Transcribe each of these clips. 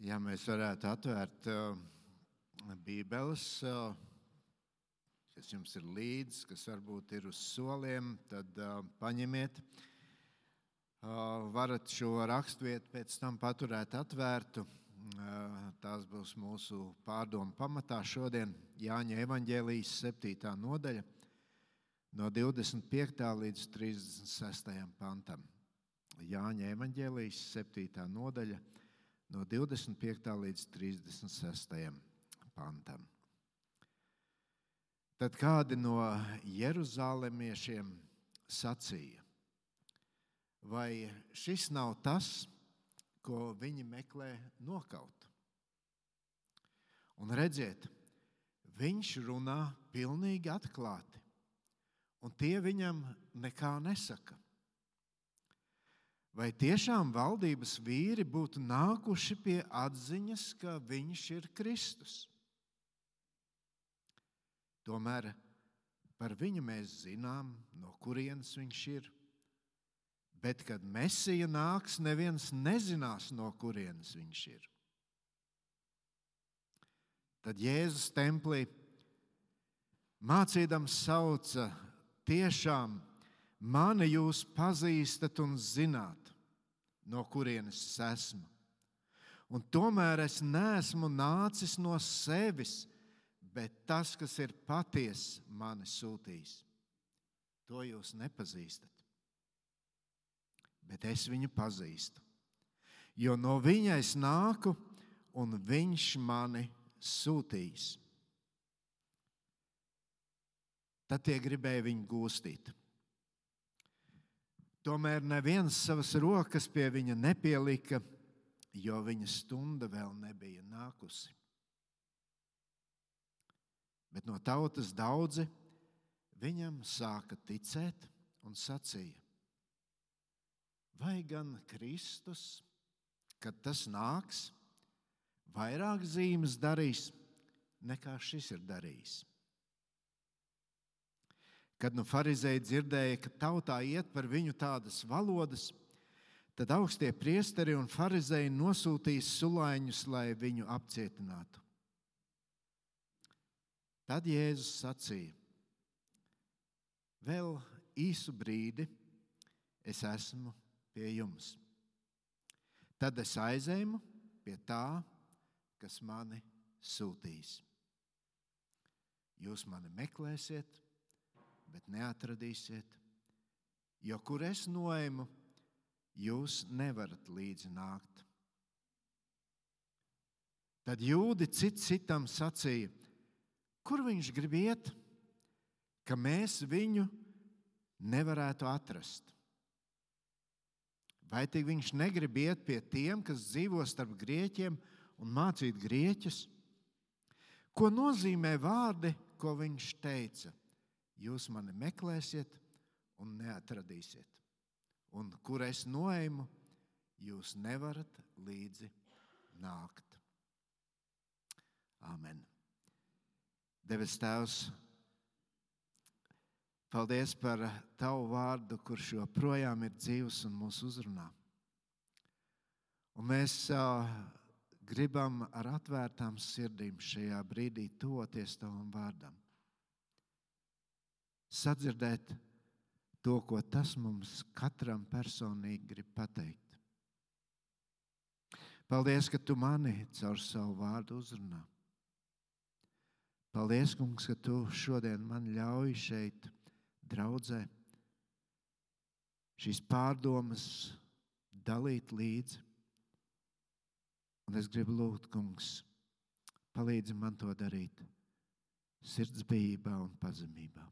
Ja mēs varētu atvērt Bībeles, kas jums ir līdz, kas varbūt ir uz soliem, tad paņemiet. Varat šo rakstvietu pēc tam paturēt atvērtu. Tās būs mūsu pārdomu pamatā šodien. Jāņa evaņģēlijas 7. nodaļa no 25. līdz 36. pantam. Jāņa evaņģēlijas 7. nodaļa no 25. līdz 36. pantam. Tad kādi no jeruzalemiešiem sacīja: vai šis nav tas, ko viņi meklē nokaut? Un redziet, viņš runā pilnīgi atklāti, un tie viņam nekā nesaka. Vai tiešām valdības vīri būtu nākuši pie atziņas, ka viņš ir Kristus? Tomēr par viņu mēs zinām, no kurienes viņš ir. Bet, kad Mesija nāks, neviens nezinās, no kurienes viņš ir. Tad Jēzus templī mācīdams sauca: tiešām mani jūs pazīstat un zināt, no kurienes es esmu. Un tomēr es neesmu nācis no sevis, bet tas, kas ir patiess, mani sūtījis. To jūs nepazīstat. Bet es viņu pazīstu, jo no viņa es nāku, un viņš mani sūtījis. Tad tie gribēja viņu gūstīt. Tomēr neviens savas rokas pie viņa nepielika, jo viņa stunda vēl nebija nākusi. Bet no tautas daudzi viņam sāka ticēt un sacīja: vai gan Kristus, kad tas nāks, vairāk zīmes darīs, nekā šis ir darījis? Kad farizēji dzirdēja, ka tautā iet par viņu tādas valodas, tad augstie priesteri un farizēji nosūtīja sulaiņus, lai viņu apcietinātu. Tad Jēzus sacīja: vēl īsu brīdi es esmu pie jums. Tad es aizēju pie tā, kas mani sūtīs. Jūs mani meklēsiet, bet neatradīsiet, jo kur es noeju, jūs nevarat līdzi nākt. Tad jūdi cits citam sacīja: kur viņš grib iet, ka mēs viņu nevarētu atrast? Vai tik viņš negrib iet pie tiem, kas dzīvo starp grieķiem, un mācīt grieķus? Ko nozīmē vārdi, ko viņš teica? Jūs mani meklēsiet un neatradīsiet. Un kur es noeju, jūs nevarat līdzi nākt. Āmen. Debes Tēvs, paldies par Tavu vārdu, kurš joprojām ir dzīvs un mūs uzrunā. Un mēs gribam ar atvērtām sirdīm šajā brīdī tuvoties Tavam vārdam. Sadzirdēt to, ko tas mums katram personīgi grib pateikt. Paldies, ka Tu mani caur savu vārdu uzrunā. Paldies, Kungs, ka Tu šodien man ļauj šeit draudzē šīs pārdomas dalīt līdzi. Un es gribu lūgt, Kungs, palīdzi man to darīt sirdsbijībā un pazemībā.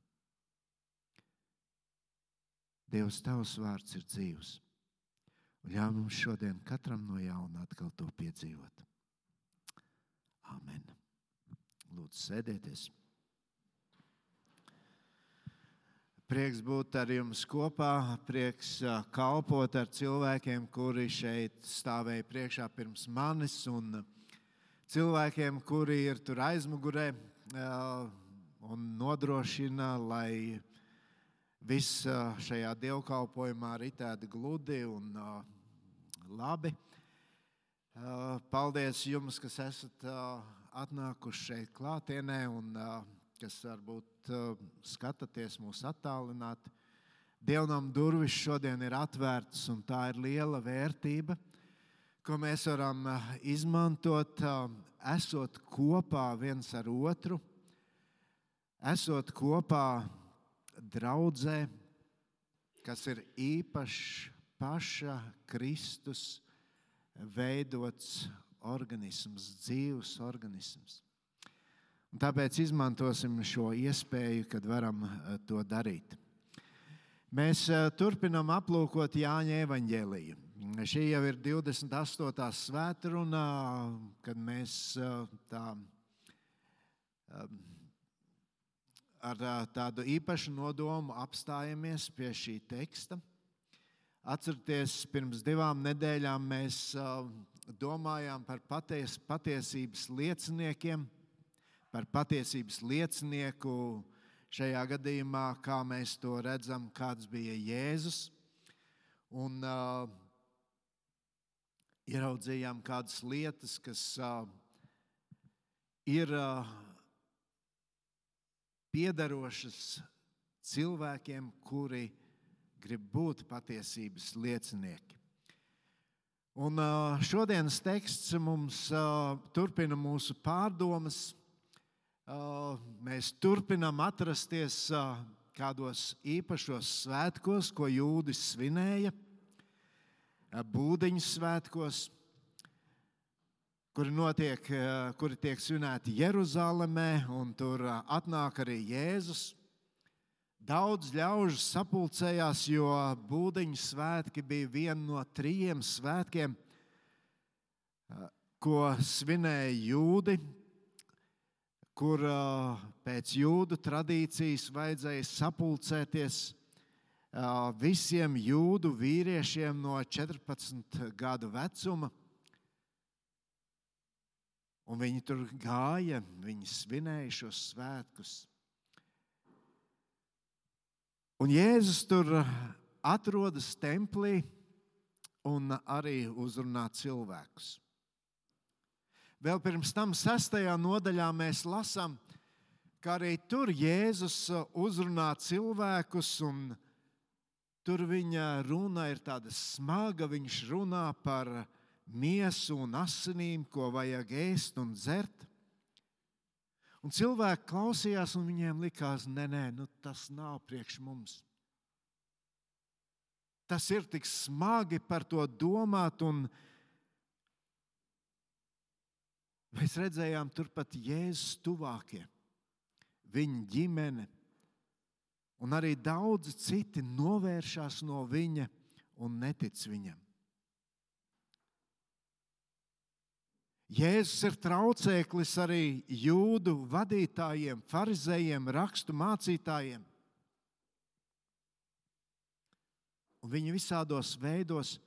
Dievs, Tavs vārds ir dzīvs, un ļauj mums šodien katram no jauna atkal to piedzīvot. Āmen. Lūdzu, sēdieties. Prieks būt ar jums kopā, prieks kalpot ar cilvēkiem, kuri šeit stāvēja priekšā pirms manis, un cilvēkiem, kuri ir tur aizmugurē un nodrošina, lai viss šajā dievkalpojumā ritētu gludi un labi. Paldies jums, kas esat atnākuši šeit klātienē un kas varbūt skatāties mūs attālināti. Dievnam durvis šodien ir atvērtas, un tā ir liela vērtība, ko mēs varam izmantot, esot kopā viens ar otru, esot kopā draudzē, kas ir īpašs paša Kristus veidots organisms, dzīvs organisms. Un tāpēc izmantosim šo iespēju, kad varam to darīt. Mēs turpinam aplūkot Jāņa evaņģēliju. Šī jau ir 28. svētruna, kad mēs ar tādu īpašu nodomu apstājamies pie šī teksta. Atcerieties, pirms 2 nedēļām mēs domājām par patiesības lieciniekiem, par patiesības liecinieku šajā gadījumā, kā mēs to redzam, kāds bija Jēzus. Un ieraudzījām kādas lietas, kas ir piederošas cilvēkiem, kuri grib būt patiesības liecinieki. Un šodienas teksts mums turpina mūsu pārdomas. Mēs turpinam atrasties kādos īpašos svētkos, ko jūdi svinēja, būdiņu svētkos, kuri tiek svinēti Jeruzalemē, un tur atnāk arī Jēzus. Daudz ļaužu sapulcējās, jo būdiņu svētki bija viena no 3 svētkiem, ko svinēja jūdi, kur pēc jūdu tradīcijas vajadzēja sapulcēties visiem jūdu vīriešiem no 14 gadu vecuma. Un viņi tur gāja, viņi svinēja šos svētkus. Un Jēzus tur atrodas templī un arī uzrunā cilvēkus. Vēl pirms tam 6. nodaļā mēs lasām, ka arī tur Jēzus uzrunā cilvēkus, un tur viņa runa ir tāda smaga. Viņš runā par miesu un asinīm, ko vajag ēst un dzert. Un cilvēki klausījās, un viņiem likās, tas nav priekš mums. Tas ir tik smagi par to domāt, un mēs redzējām turpat Jēzus tuvākie, viņa ģimene, un arī daudzi citi novēršās no viņa un netic viņam. Jēzus ir traucēklis arī jūdu vadītājiem, farizējiem, rakstu mācītājiem. Un viņi visādos veidos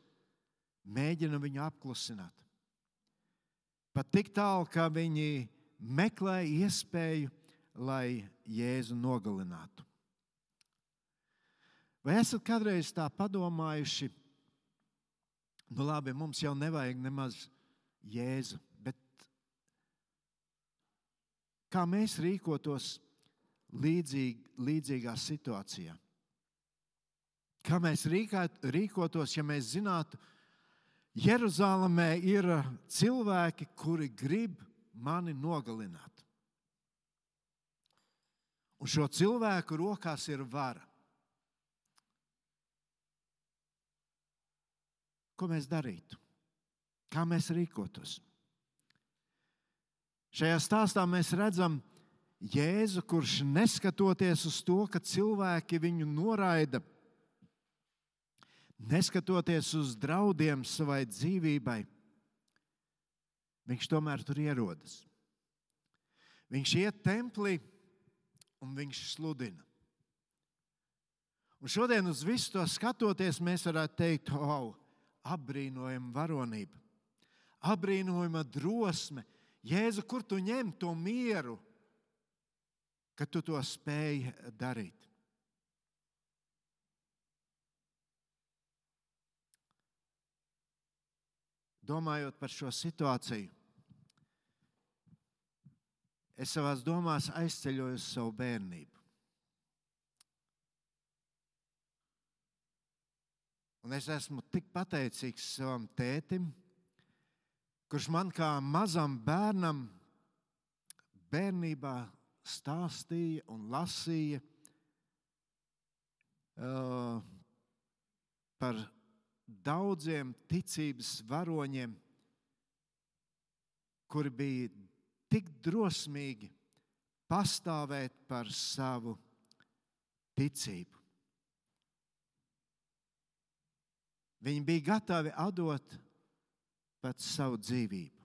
mēģina viņu apklusināt. Pat tik tālu, ka viņi meklē iespēju, lai Jēzu nogalinātu. Vai esat kādreiz tā padomājuši, labi, mums jau nevajag nemaz Jēzu, bet kā mēs rīkotos līdzīgā situācijā? Kā mēs rīkotos, ja mēs zinātu, Jeruzalemē ir cilvēki, kuri grib mani nogalināt. Un šo cilvēku rokās ir vara. Ko mēs darītu? Kā mēs rīkotos? Šajā stāstā mēs redzam Jēzu, kurš neskatoties uz to, ka cilvēki viņu noraida, neskatoties uz draudiem savai dzīvībai, viņš tomēr tur ierodas. Viņš iet templī un viņš sludina. Un šodien uz visu to skatoties, mēs varētu teikt, apbrīnojama varonība, apbrīnojama drosme. Jēzu, kur tu ņem to mieru, ka tu to spēj darīt? domājot par šo situāciju, es savās domās aizceļoju uz savu bērnību. Un es esmu tik pateicīgs savam tētim, kurš man kā mazam bērnam bērnībā stāstīja un lasīja par daudziem ticības varoņiem, kuri bija tik drosmīgi pastāvēt par savu ticību. Viņi bija gatavi atdot pat savu dzīvību.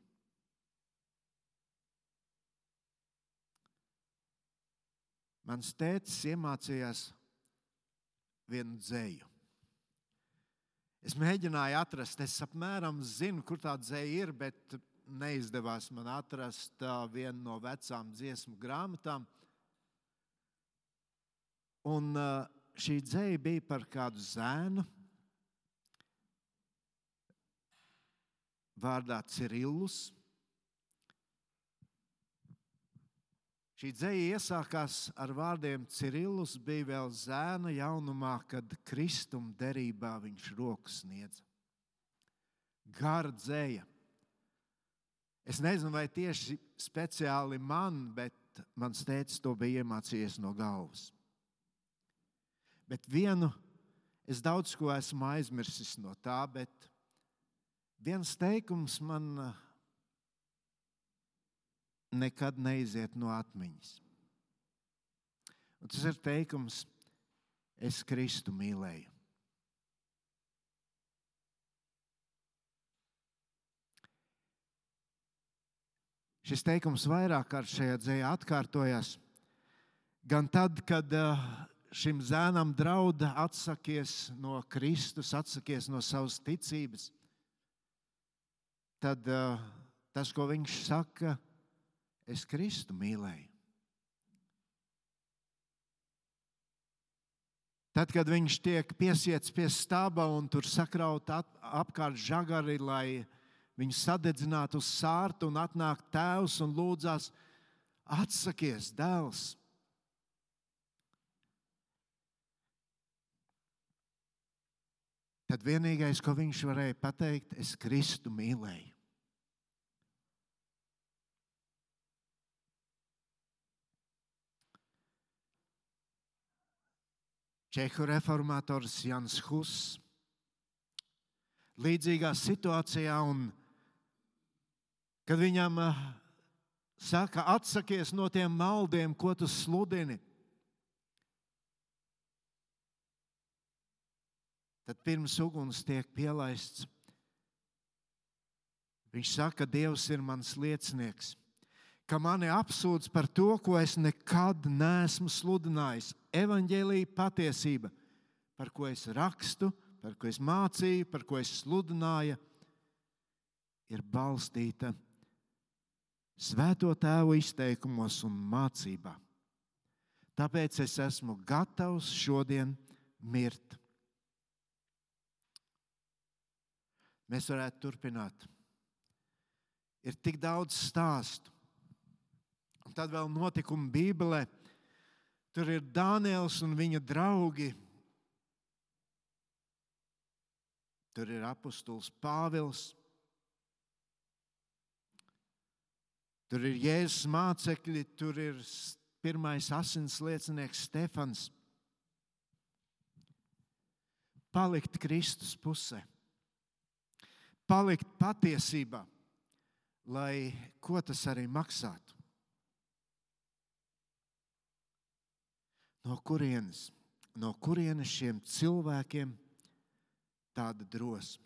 Mans tētis iemācījās vienu dzeju. Es mēģināju atrast, es apmēram zinu, kur tā dzeja ir, bet neizdevās man atrast vienu no vecām dziesmu grāmatām. Un šī dzeja bija par kādu zēnu vārdā Cirillus. Šī dzeja iesākās ar vārdiem: Cirillus bija vēl zēna jaunumā, kad Kristuma derībā viņš roku sniedza. Gara dzeja. Es nezinu, vai tieši speciāli man, bet mans tētis to bija iemācījies no galvas. Bet vienu, es daudz ko esmu aizmirsis no tā, bet viens teikums man nekad neiziet no atmiņas. Un tas ir teikums: es Kristu mīlēju. Šis teikums vairāk kārt šajā dzejā atkārtojās. Gan tad, kad šim zēnam drauda atsakies no Kristus, atsakies no savas ticības, tad tas, ko viņš saka, es Kristu mīlēju. Tad, kad viņš tiek piesiets pie staba un tur sakraut apkārt žagari, lai viņu sadedzinātu uz sārtu, un atnāk tēvs un lūdzās: atsakies, dēls. Tad vienīgais, ko viņš varēja pateikt, es Kristu mīlēju. Čehu reformators Jans Hus līdzīgā situācijā, un kad viņam saka: atsakies no tiem maldiem, ko tu sludini, tad pirms uguns tiek pielaists, viņš saka: Dievs ir mans liecinieks, ka mani apsūdz par to, ko es nekad neesmu sludinājis. Evaņģēlija patiesība, par ko es rakstu, par ko es mācīju, par ko es sludināju, ir balstīta Svēto Tēvu izteikumos un mācībā. Tāpēc es esmu gatavs šodien mirt. Mēs varētu turpināt. Ir tik daudz stāstu. Un tad vēl notikumi Bībelē. Tur ir Dāniels un viņa draugi. Tur ir apostols Pāvils. Tur ir Jēzus mācekļi, tur ir pirmais asins liecinieks Stefans. Palikt Kristus pusē. Palikt patiesībā, lai ko tas arī maksātu. No kurienes šiem cilvēkiem tāda drosme?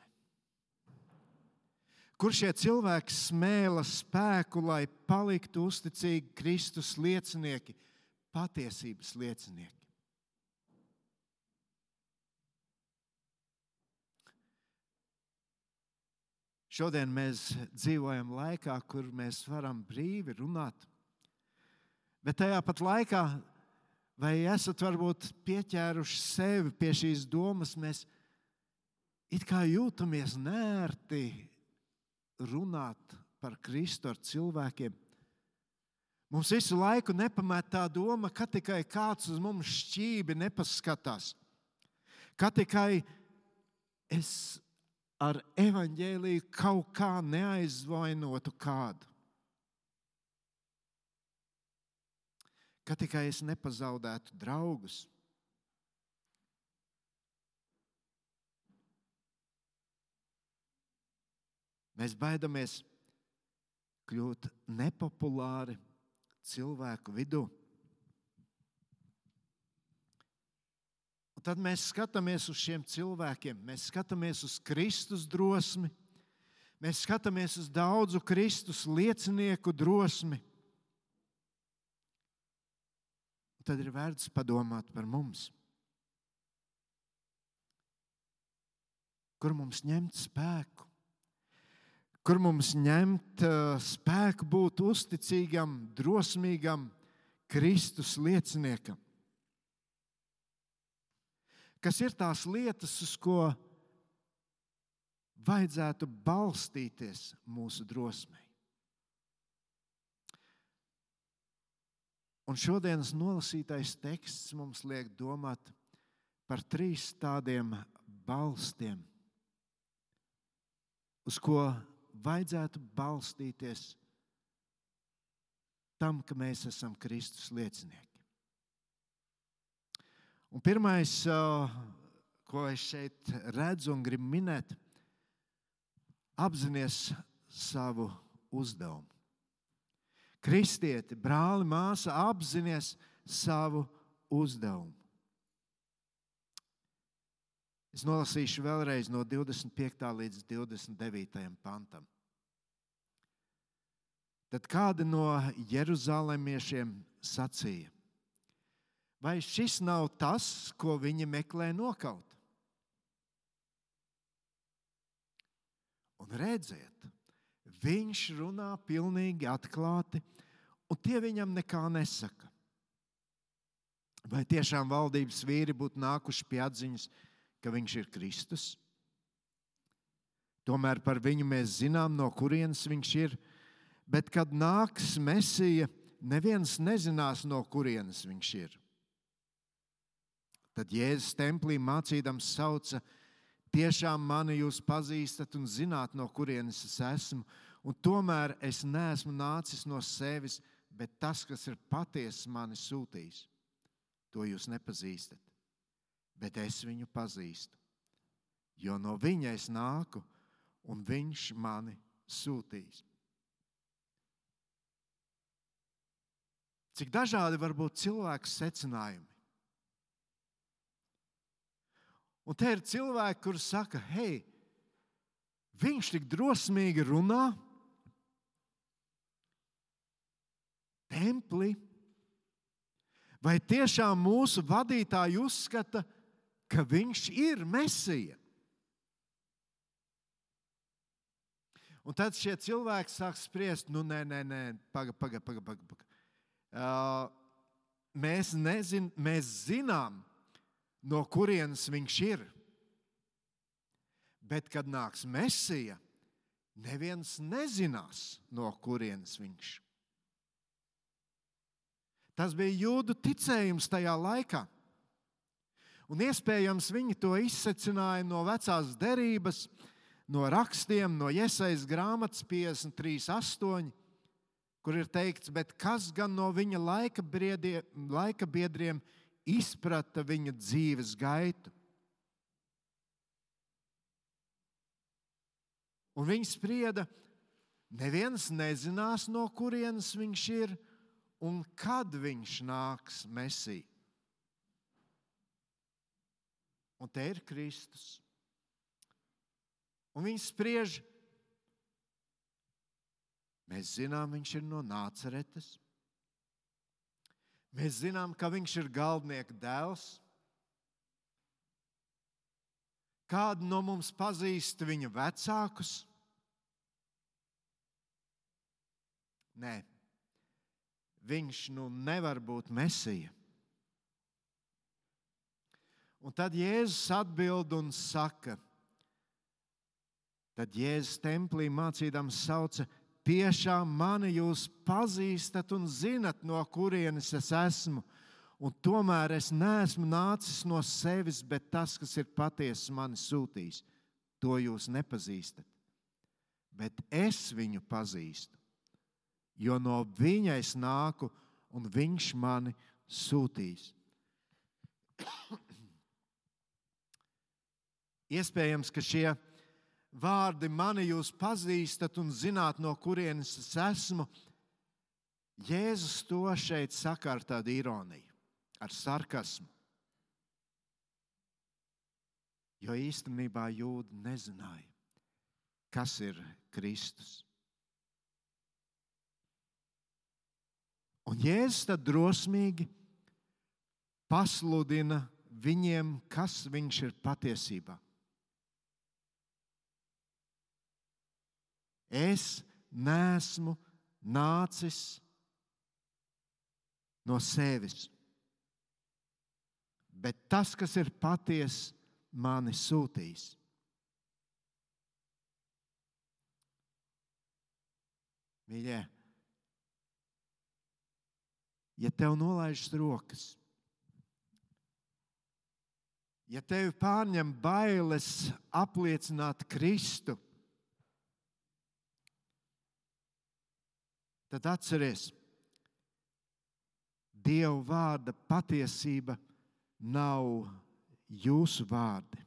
Kur šie cilvēki smēla spēku, lai paliktu uzticīgi Kristus liecinieki, patiesības liecinieki? Šodien mēs dzīvojam laikā, kur mēs varam brīvi runāt. Bet tajā pat laikā, vai esat varbūt pieķēruši sevi pie šīs domas, mēs it kā jūtamies nērti runāt par Kristu ar cilvēkiem, mums visu laiku nepamet tā doma, ka tikai kāds uz mums šķībi nepaskatās, ka tikai es ar evaņģēliju kaut kā neaizvainotu kādu, ka tikai es nepazaudētu draugus. Mēs baidamies kļūt nepopulāri cilvēku vidū. Un tad mēs skatāmies uz šiem cilvēkiem, mēs skatāmies uz Kristus drosmi, mēs skatāmies uz daudzu Kristus liecinieku drosmi. Un tad ir vērts padomāt par mums. Kur mums ņemt spēku? Kur mums ņemt spēku būt uzticīgam, drosmīgam Kristus lieciniekam? Kas ir tās lietas, uz ko vajadzētu balstīties mūsu drosmei? Un šodienas nolasītais teksts mums liek domāt par 3 tādiem balstiem, uz ko vajadzētu balstīties tam, ka mēs esam Kristus liecinieki. Un pirmais, ko es šeit redzu un gribu minēt, apzinies savu uzdevumu. Kristieti, brāli, māsa, apzinies savu uzdevumu. Es nolasīšu vēlreiz no 25. līdz 29. pantam. Tad kādi no jeruzalemiešiem sacīja: vai šis nav tas, ko viņi meklē nokaut? Un redziet, viņš runā pilnīgi atklāti, un tie viņam nekā nesaka. Vai tiešām valdības vīri būtu nākuši pie atziņas, ka viņš ir Kristus? Tomēr par viņu mēs zinām, no kurienes viņš ir, bet kad nāks Mesija, neviens nezinās, no kurienes viņš ir. Tad Jēzus templī mācīdams sauca: tiešām mani jūs pazīstat un zināt, no kurienes es esmu, un tomēr es neesmu nācis no sevis, bet tas, kas ir patiesi mani sūtījis. To jūs nepazīstat, bet es viņu pazīstu, jo no viņa es nāku, un viņš mani sūtīs. Cik dažādi var būt cilvēku secinājumi. Un te ir cilvēki, kuri saka: hei, viņš tik drosmīgi runā templī. Vai tiešām mūsu vadītāji uzskata, ka viņš ir Mesija? Un tad šie cilvēki sāk spriest: nē, paga. Mēs zinām, no kurienes viņš ir. Bet, kad nāks Mesija, neviens nezinās, no kurienes viņš. Tas bija jūdu ticējums tajā laikā. Un iespējams viņi to izsecināja no vecās derības, no rakstiem, no Jesajas grāmatas 53:8, kur ir teikts: bet kas gan no viņa laika biedriem izprata viņa dzīves gaitu? Un viņi sprieda: neviens nezinās, no kurienes viņš ir un kad viņš nāks Mesija. Un te ir Kristus. Un viņi spriež: mēs zinām, viņš ir no Nācaretes. Mēs zinām, ka viņš ir galdnieka dēls. Kādu no mums pazīst viņa vecākus? Nē, viņš nevar būt Mesija. Un tad Jēzus atbild un saka: Tad Jēzus templī mācīdams sauca: tiešām mani jūs pazīstat un zinat, no kurienes es esmu, un tomēr es neesmu nācis no sevis, bet tas, kas ir patiesi, mani sūtījis. To jūs nepazīstat, bet es viņu pazīstu, jo no viņa es nāku, un viņš mani sūtīs. Iespējams, ka šie vārdi mani jūs pazīstat un zināt, no kurienes es esmu, Jēzus to šeit saka ar tādu ironiju, ar sarkasmu. Jo īstenībā jūdi nezināja, kas ir Kristus. Un Jēzus tad drosmīgi pasludina viņiem, kas viņš ir patiesībā. Es neesmu nācis no sevis, bet tas, kas ir patiesi, mani sūtīs. Mīļie, ja tev nolaižas rokas, ja tevi pārņem bailes apliecināt Kristu, tad atceries, Dieva vārda patiesība nav jūsu vārdi.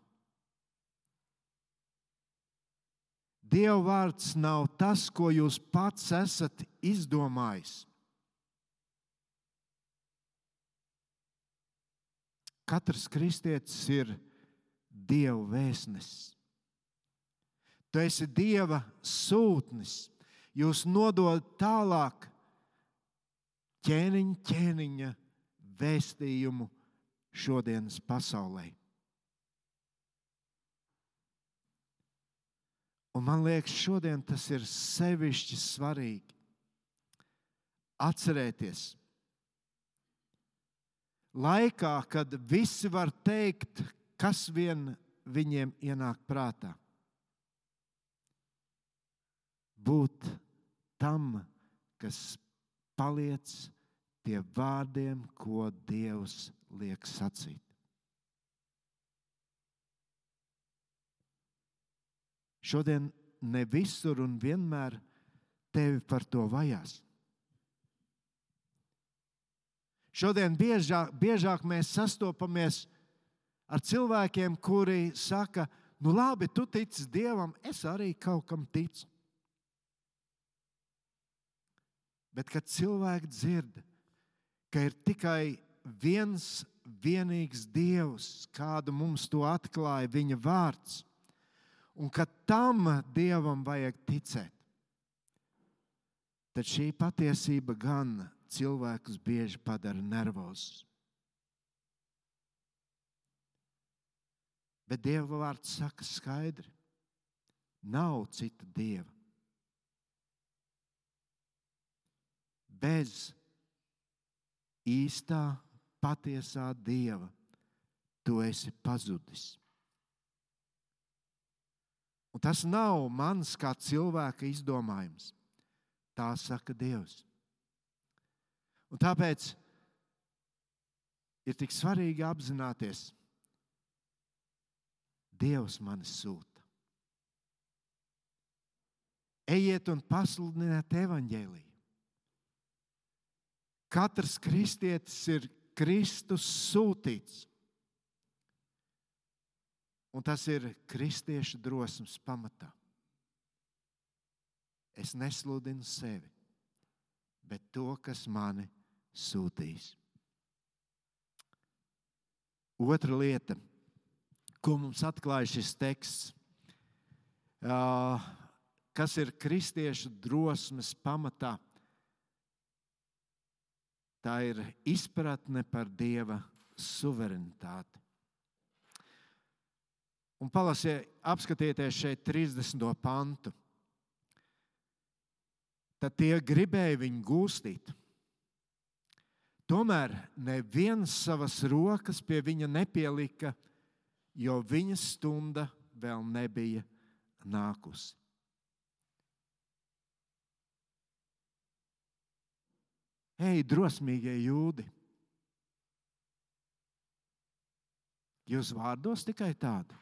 Dieva vārds nav tas, ko jūs pats esat izdomājis. Katrs kristietis ir Dieva vēstnesis. Tu esi Dieva sūtnis. Jūs nododat tālāk ķēniņa vēstījumu šodienas pasaulē. Un man liekas, šodien tas ir sevišķi svarīgi atcerēties. Laikā, kad visi var teikt, kas vien viņiem ienāk prātā. Būt tam, kas paliec pie vārdiem, ko Dievs liek sacīt. Šodien ne visur un vienmēr tevi par to vajās. Šodien biežāk mēs sastopamies ar cilvēkiem, kuri saka, nu labi, tu tici Dievam, es arī kaut kam ticu. Bet, kad cilvēki dzird, ka ir tikai viens vienīgs Dievs, kādu mums to atklāja viņa vārds, un ka tam Dievam vajag ticēt, tad šī patiesība gan cilvēkus bieži padara nervozus. Bet Dieva vārds saka skaidri, nav cita Dieva. Bez īstā, patiesā Dieva tu esi pazudis. Un tas nav mans kā cilvēka izdomājums. Tā saka Dievs. Un tāpēc ir tik svarīgi apzināties, Dievs mani sūta. Ejiet un pasludiniet evaņģēliju. Katrs kristietis ir Kristus sūtīts. Un tas ir kristiešu drosmes pamatā. Es nesludinu sevi, bet to, kas mani sūtīs. Otra lieta, ko mums atklāja šis teksts, kas ir kristiešu drosmes pamatā, tā ir izpratne par Dieva suverenitāti. Un apskatieties šeit 30. pantu. Tad tie gribēja viņu gūstīt. Tomēr neviens savas rokas pie viņa nepielika, jo viņa stunda vēl nebija nākusi. Ej, drosmīgie jūdi! Jūs vārdos tikai tādu.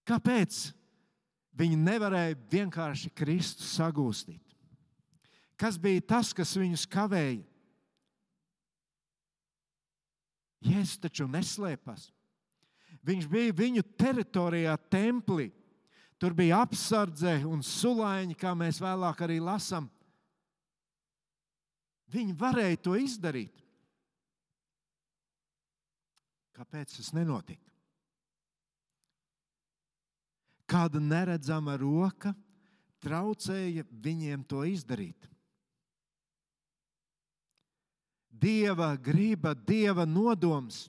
Kāpēc viņi nevarēja vienkārši Kristu sagūstīt? Kas bija tas, kas viņus kavēja? Jēzus taču neslēpās. Viņš bija viņu teritorijā, templī. Tur bija apsardze un sulaiņi, kā mēs vēlāk arī lasām. Viņi varēja to izdarīt. Kāpēc tas nenotika? Kāda neredzama roka traucēja viņiem to izdarīt. Dieva griba, Dieva nodoms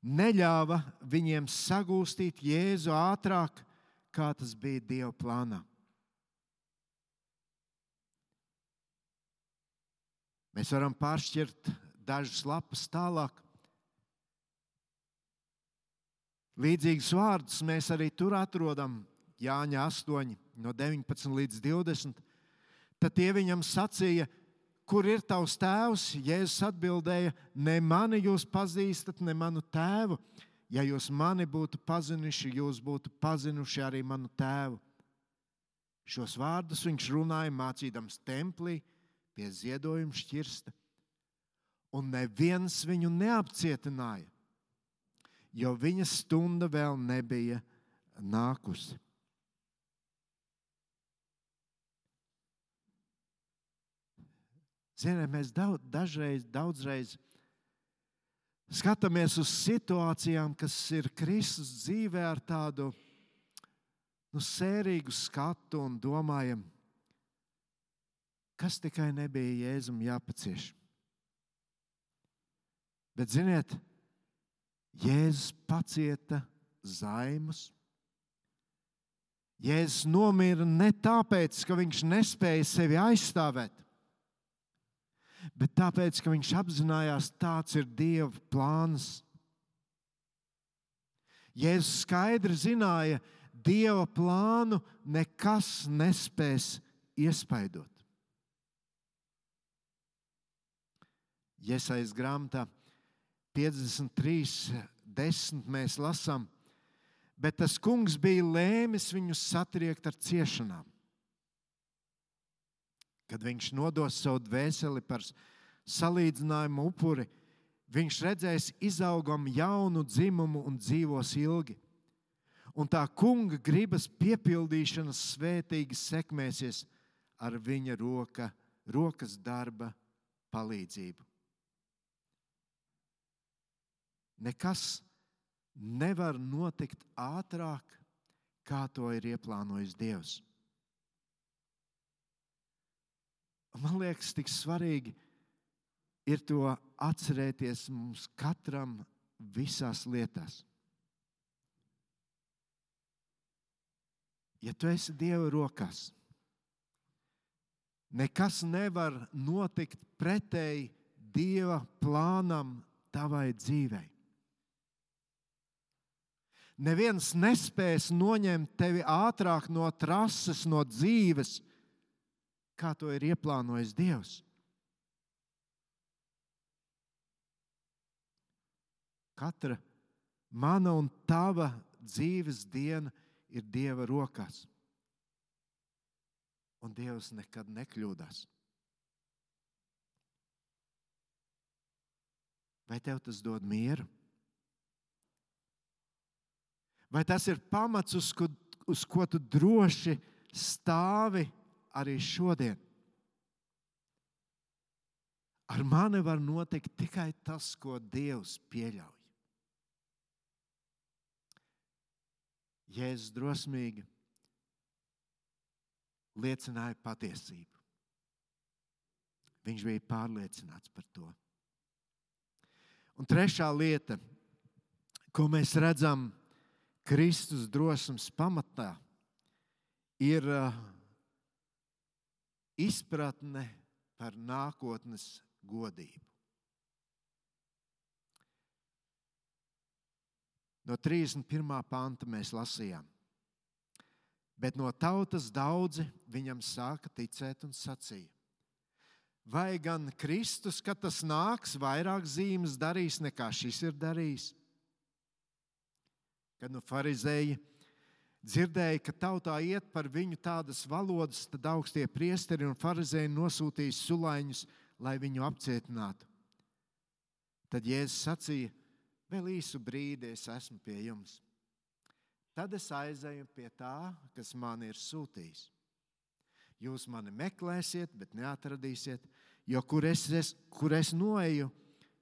neļāva viņiem sagūstīt Jēzu ātrāk, kā tas bija Dieva plānā. Mēs varam pāršķirt dažas lapas tālāk. Līdzīgus vārdus mēs arī tur atrodam Jāņa 8, no 19 līdz 20. Tad tie viņam sacīja, kur ir tavs tēvs? Jēzus atbildēja, ne mani jūs pazīstat, ne manu tēvu. Ja jūs mani būtu pazinuši, jūs būtu pazinuši arī manu tēvu. Šos vārdus viņš runāja mācīdams templī pie ziedojuma šķirsta. Un neviens viņu neapcietināja, jo viņa stunda vēl nebija nākusi. Ziniet, mēs daudzreiz skatāmies uz situācijām, kas ir Kristus dzīvē ar tādu sērīgu skatu un domājam, kas tikai nebija Jēzum jāpacieš. Bet, ziniet, Jēzus pacieta zaimus. Jēzus nomira ne tāpēc, ka viņš nespēja sevi aizstāvēt, bet tāpēc, ka viņš apzinājās, tāds ir Dieva plāns. Jēzus skaidri zināja, Dieva plānu nekas nespēs iespaidot. Jesajas grāmatā 53:10 mēs lasām, bet tas kungs bija lēmis viņus satriekt ar ciešanām. Kad viņš nodos savu dvēseli par salīdzinājumu upuri, viņš redzēs izaugam jaunu dzimumu un dzīvos ilgi. Un tā kunga gribas piepildīšanas svētīgi sekmēsies ar viņa rokas darba palīdzību. Nekas nevar notikt ātrāk, kā to ir ieplānojis Dievs. Man liekas, tik svarīgi ir to atcerēties mums katram visās lietās. Ja tu esi Dieva rokās, nekas nevar notikt pretēji Dieva plānam tavai dzīvei. Neviens nespēs noņemt tevi ātrāk no trases, no dzīves, kā to ir ieplānojis Dievs. Katra mana un tava dzīves diena ir Dieva rokās. Un Dievs nekad nekļūdās. Vai tev tas dod mieru? Vai tas ir pamats, uz ko tu droši stāvi arī šodien? Ar mani var notikt tikai tas, ko Dievs pieļauj. Jēzus drosmīgi liecināja patiesību. Viņš bija pārliecināts par to. Un trešā lieta, ko mēs redzam Kristus drosmes pamatā, ir izpratne par nākotnes godību. no 31. panta mēs lasījām. Bet no tautas daudzi viņam sāka ticēt un sacīja: vai gan Kristus, kad tas nāks, vairāk zīmes darīs nekā šis ir darījis? Kad farizēji dzirdēja, ka tautā iet par viņu tādas valodas, tad augstie priesteri un farizēji nosūtīja sulaiņus, lai viņu apcietinātu. Tad Jēzus sacīja: vēl īsu brīdi es esmu pie jums. Tad es aizēju pie tā, kas man ir sūtījis. Jūs mani meklēsiet, bet neatradīsiet, jo kur es noeju,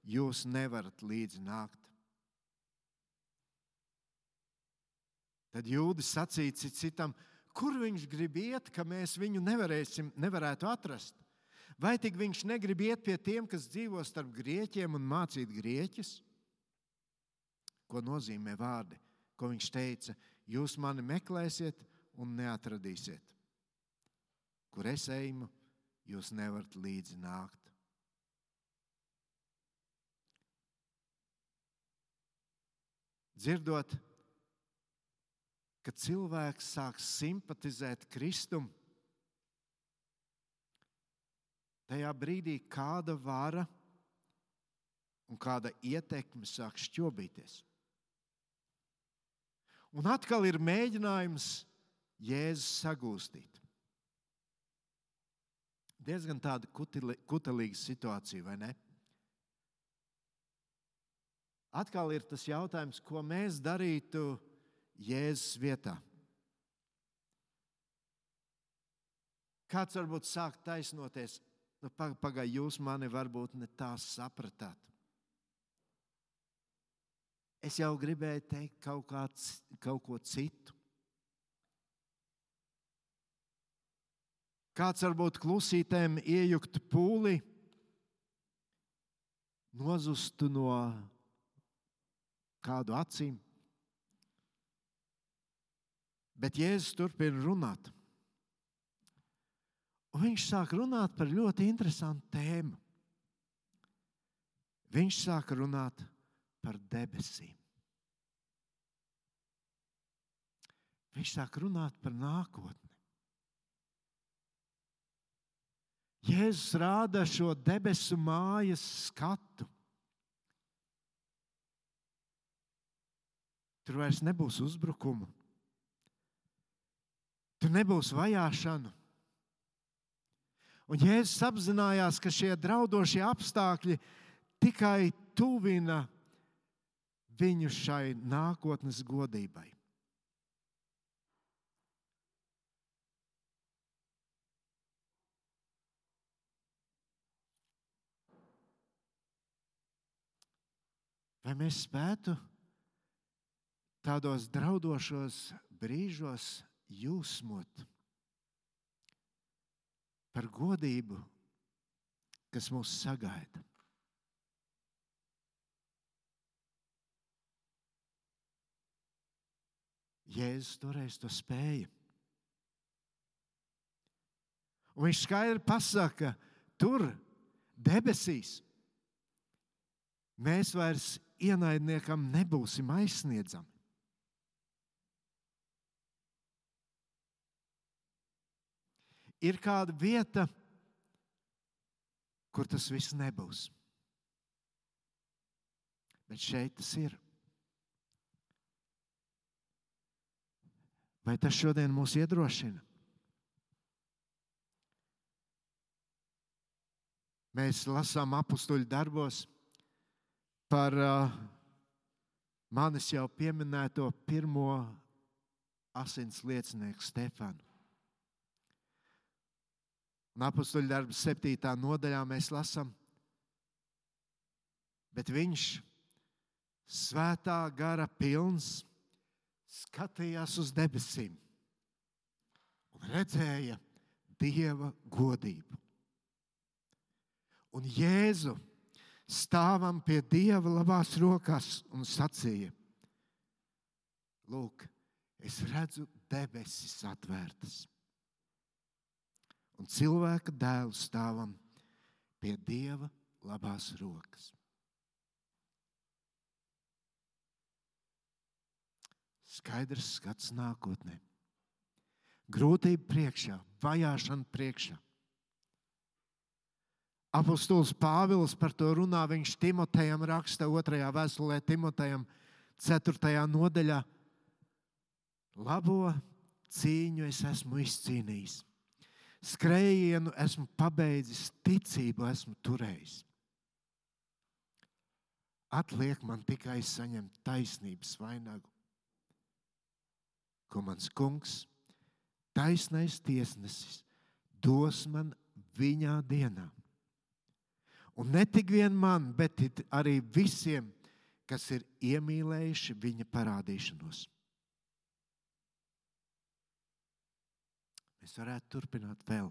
jūs nevarat līdzi nākt. Tad jūdi sacīja citam: kur viņš grib iet, ka mēs viņu nevarētu atrast? Vai tik viņš negrib iet pie tiem, kas dzīvo starp grieķiem un mācīt grieķus? Ko nozīmē vārdi, ko viņš teica: jūs mani meklēsiet un neatradīsiet. Kur es eju, jūs nevarat līdzi nākt. Dzirdot, ka cilvēks sāk simpatizēt Kristum, tajā brīdī kāda vara un kāda ietekme sāk šķobīties. Un atkal ir mēģinājums Jēzus sagūstīt. Diezgan tāda kutelīga situācija, vai ne? Atkal ir tas jautājums, ko mēs darītu Jēzus vietā. Kāds varbūt sāk taisnoties: pagaid, jūs mani varbūt ne tā sapratāt. Es jau gribēju teikt kaut ko citu. Kāds varbūt klusītēm iejuktu pūli, nozustu no kādu acīm. Bet Jēzus turpina runāt. Un viņš sāk runāt par ļoti interesantu tēmu. Viņš sāk runāt par debesīm. Viņš sāk runāt par nākotni. Jēzus rāda šo debesu mājas skatu. Tur vairs nebūs uzbrukumu. Tur nebūs vajāšanu. Un Jēzus apzinājās, ka šie draudošie apstākļi tikai tuvina viņu šai nākotnes godībai. Vai mēs spētu tādos draudošos brīžos jūsmot par godību, kas mūs sagaida? Jēzus toreiz to spēja. Un viņš skaidri pasaka, tur, debesīs, mēs vairs ienaidniekam nebūsim aizsniedzami. Ir kāda vieta, kur tas viss nebūs. Bet šeit tas ir. Vai tas šodien mūs iedrošina? Mēs lasām apustuļu darbos par manis jau pieminēto pirmo asins liecinieku Stefanu. Un apustuļu darbu 7. nodaļā mēs lasām: bet viņš, svētā gara pilns, skatījās uz debesīm un redzēja Dieva godību. Un Jēzu stāvam pie Dieva labās rokās un sacīja: lūk, es redzu debesis atvērtas un cilvēka dēlu stāvam pie Dieva labās rokas. skaidrs skats nākotnē. Grūtība priekšā, vajāšana priekšā. Apostols Pāvils par to runā, viņš Timotejam raksta 2. vēstulē Timotejam 4. nodaļā. Labo cīņu es esmu izcīnījis. Skrējienu esmu pabeidzis, ticību esmu turējis. Atliek man tikai saņemt taisnības vainagu, ko mans kungs, taisnais tiesnesis, dos man viņā dienā. Un ne tik vien man, bet arī visiem, kas ir iemīlējuši viņa parādīšanos. Mēs varētu turpināt vēl.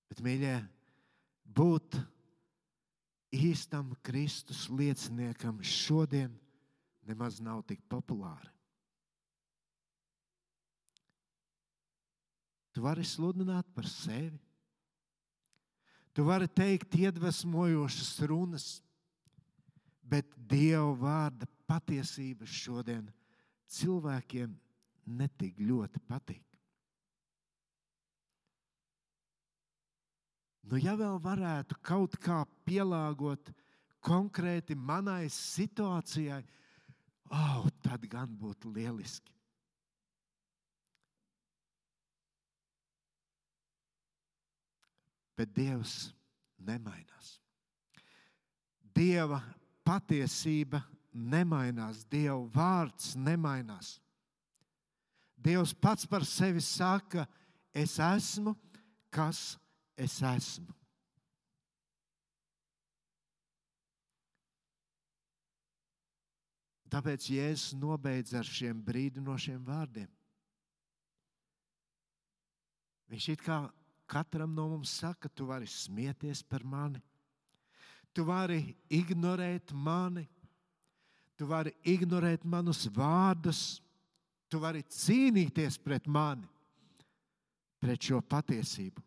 Bet, mīļie, būt īstam Kristus lieciniekam šodien nemaz nav tik populāri. Tu vari sludināt par sevi. Tu vari teikt iedvesmojošas runas, bet Dieva vārda patiesība šodien cilvēkiem netik ļoti patīk. Ja vēl varētu kaut kā pielāgot konkrēti manai situācijai, tad gan būtu lieliski. Bet Dievs nemainās. Dieva patiesība nemainās. Dieva vārds nemainās. Dievs pats par sevi saka, es esmu, kas es esmu. Tāpēc Jēzus nobeidz ar šiem brīdinošiem vārdiem. Viņš it kā katram no mums saka, tu vari smieties par mani, tu vari ignorēt mani, tu vari ignorēt manus vārdus, tu vari cīnīties pret mani, pret šo patiesību.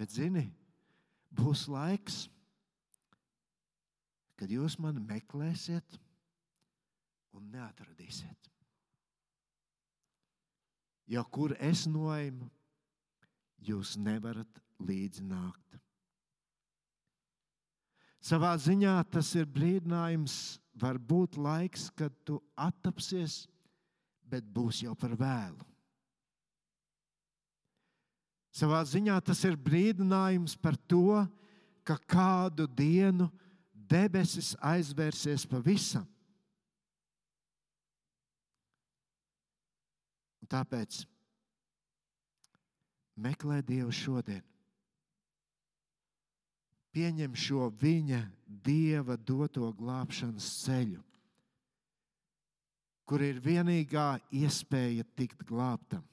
Bet zini, būs laiks, kad jūs mani meklēsiet un neatradīsiet. Jo kur es noeju, jūs nevarat līdzi nākt. Savā ziņā tas ir brīdinājums, var būt laiks, kad tu attapsies, bet būs jau par vēlu. Savā ziņā tas ir brīdinājums par to, ka kādu dienu debesis aizvērsies pavisam. Tāpēc meklē Dievu šodien. Pieņem šo viņa Dieva doto glābšanas ceļu, kur ir vienīgā iespēja tikt glābtam.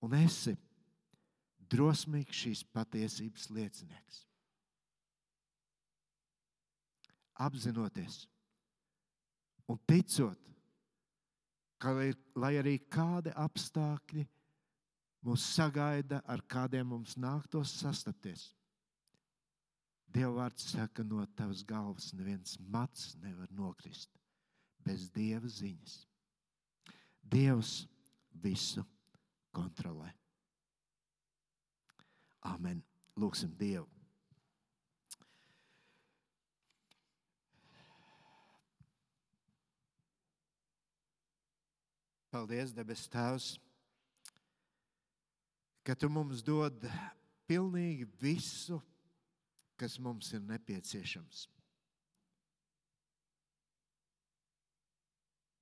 Un esi drosmīgs šīs patiesības liecinieks. Apzinoties un ticot, ka, lai arī kādi apstākļi mūs sagaida, ar kādiem mums nāktos sastapties, Dieva vārds saka, no tavas galvas neviens mats nevar nokrist bez Dieva ziņas. Dievs visu kontrolē. Amen. Lūksim Dievu. Paldies, debes Tēvs, ka Tu mums dod pilnīgi visu, kas mums ir nepieciešams.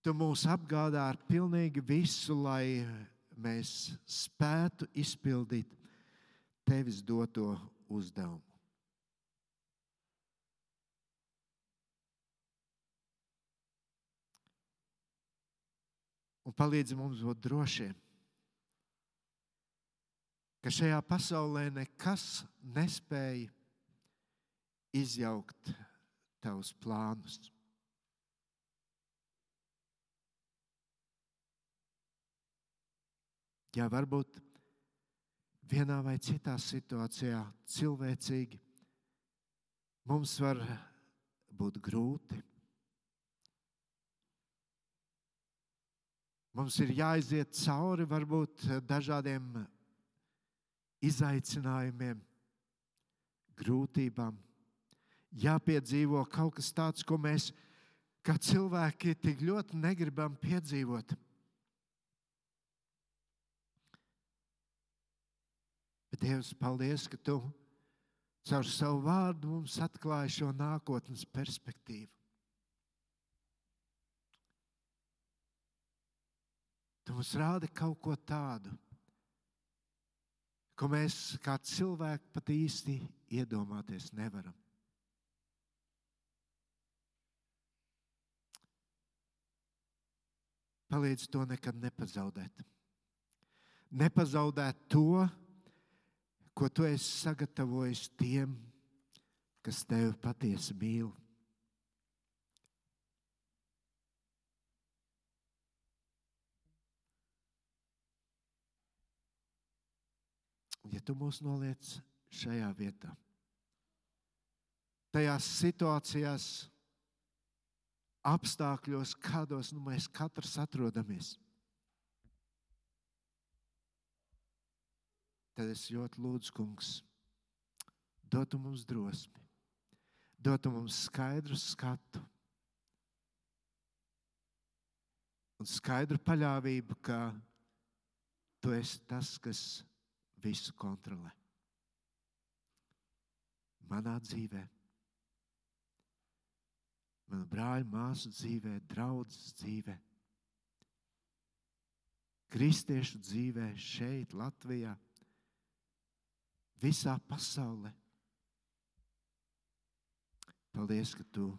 Tu mūs apgādā ar pilnīgi visu, lai mēs spētu izpildīt Tevis doto uzdevumu. Un palīdzi mums būt drošiem, ka šajā pasaulē nekas nespēja izjaukt Tavus plānus. Jā, varbūt vienā vai citā situācijā cilvēcīgi mums var būt grūti. Mums ir jāiziet cauri varbūt dažādiem izaicinājumiem, grūtībām. Jāpiedzīvo kaut kas tāds, ko mēs kā cilvēki tik ļoti negribam piedzīvot. Bet Dievs, paldies, ka Tu caur savu vārdu mums atklāji šo nākotnes perspektīvu. Tu mums rādi kaut ko tādu, ko mēs kā cilvēki pat īsti iedomāties nevaram. Palīdz to nekad nepazaudēt. Nepazaudēt to, ko Tu esi sagatavojis tiem, kas Tevi patiesi mīl. Ja Tu mūs noliec šajā vietā, tajās situācijās, apstākļos, kādos mēs katrs atrodamies, tad es ļoti lūdzu, Kungs, dotu mums drosmi, dotu mums skaidru skatu un skaidru paļāvību, ka Tu esi tas, kas visu kontrolē. Manā dzīvē, manu brāļu, māsu dzīvē, draudzes dzīvē, kristiešu dzīvē šeit, Latvijā, visā pasaulē. Paldies, ka Tu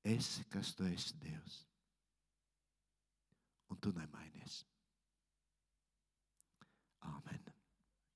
esi, kas Tu esi, Dievs. Un Tu nemainies.